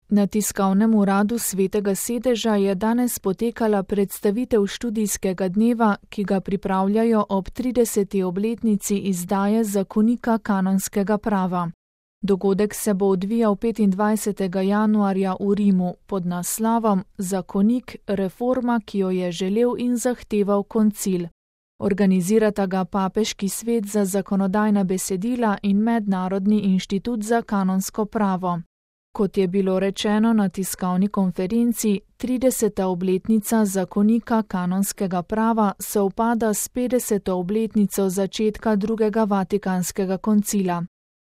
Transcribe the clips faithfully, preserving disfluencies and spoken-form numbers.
Na tiskovnem uradu Svetega sedeža je danes potekala predstavitev študijskega dneva, ki ga pripravljajo ob trideseti obletnici izdaje zakonika kanonskega prava. Dogodek se bo odvijal petindvajsetega januarja v Rimu pod naslovom Zakonik, reforma, ki jo je želel in zahteval koncil. Organizirata ga Papeški svet za zakonodajna besedila in Mednarodni inštitut za kanonsko pravo. Kot je bilo rečeno na tiskovni konferenci, trideseta obletnica zakonika kanonskega prava sovpada s petdeseto obletnico začetka drugega Vatikanskega koncila.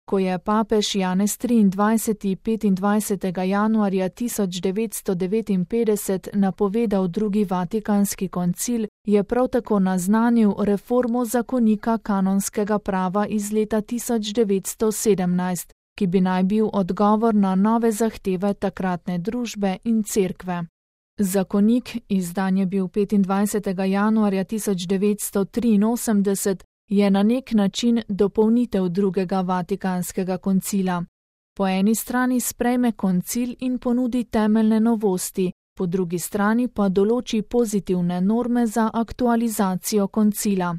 Ko je papež Janez triindvajseti petindvajsetega januarja tisoč devetsto devetinpetdeset napovedal drugi Vatikanski koncil, je prav tako naznanil reformo zakonika kanonskega prava iz leta tisoč devetsto sedemnajst, ki bi naj bil odgovor na nove zahteve takratne družbe in cerkve. Zakonik, izdan je bil petindvajsetega januarja tisoč devetsto triinosemdeset, je na nek način dopolnitev drugega Vatikanskega koncila. Po eni strani sprejme koncil in ponudi temeljne novosti, po drugi strani pa določi pozitivne norme za aktualizacijo koncila.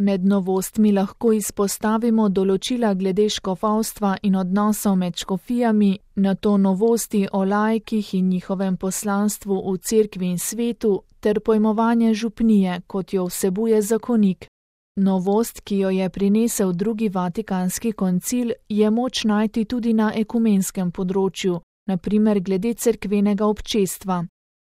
Med novostmi lahko izpostavimo določila glede škofovstva in odnosov med škofijami, nato novosti o laikih in njihovem poslanstvu v cerkvi in svetu ter pojmovanje župnije, kot jo vsebuje zakonik. Novost, ki jo je prinesel drugi Vatikanski koncil, je moč najti tudi na ekumenskem področju, na primer glede cerkvenega občestva.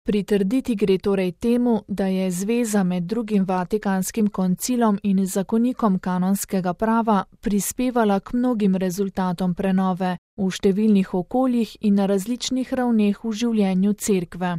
Pritrditi gre torej temu, da je zveza med drugim Vatikanskim koncilom in zakonikom kanonskega prava prispevala k mnogim rezultatom prenove v številnih okoljih in na različnih ravneh v življenju cerkve.